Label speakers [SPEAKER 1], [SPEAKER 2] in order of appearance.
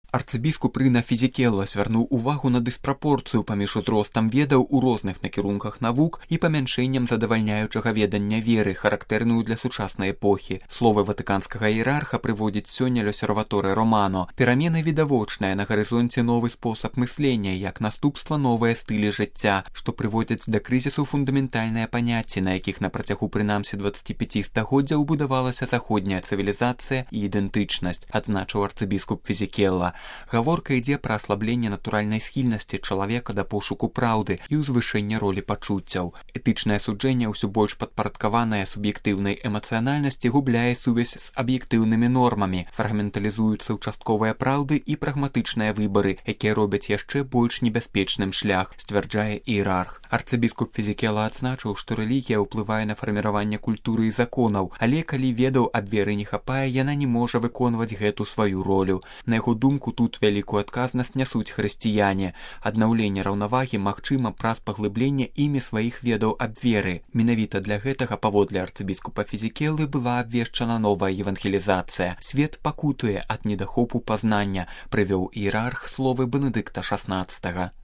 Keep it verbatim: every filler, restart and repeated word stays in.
[SPEAKER 1] Арцыбіскуп Рына Фізікелла звярнуў увагу на дыспрапорцыю паміж узростам ведаў у розных накірунках навук і памяншэннем задавальняючага ведання веры, характэрную для сучаснай эпохі. Словы ватыканскага іерарха прыводзіць сёння l'Osservatore Romano. Перамены відавочныя, на гарызонце новы спосаб мыслення, як наступства новыя стылі жыцця, што прыводзяць да крызісу фундаментальныя паняцці, на якіх на працягу прынамсі дваццаці пяці стагоддзяў будавалася заходняя цывілізацыя і ідэнтычнасць, адзначыў арцыбіскуп Фізікелла. Гаворка ідзе пра аслабленне натуральнай схільнасці чалавека да пошуку праўды і ўзвышэння ролі пачуццяў. Этычнае суджэнне ўсё больш падпарадкаванае суб'ектыўнай эмацыянальнасці губляе сувязь з аб'ектыўнымі нормамі, фрагменталізуюцца ўчастковыя праўды і прагматычныя выбары, якія робяць яшчэ больш небяспечным шлях, сцвярджае іерарх. Арцыбіскуп Фізікелла адзначыў, што рэлігія ўплывае на фарміраванне культуры і законаў, але калі ведаў аб веры не хапае, яна не можа выконваць гэту сваю ролю. На яго думку, тут вялікую адказнасць нясуць хрысціяне. Аднаўленне раўнавагі магчыма праз паглыбленне імі сваіх ведаў аб веры. Менавіта для гэтага, паводле арцыбіскупа Фізікеллы, была абвешчана новая евангелізацыя. Свет пакутуе ад недахопу пазнання, прывёў іерарх словы Бенедыкта шаснаццатага.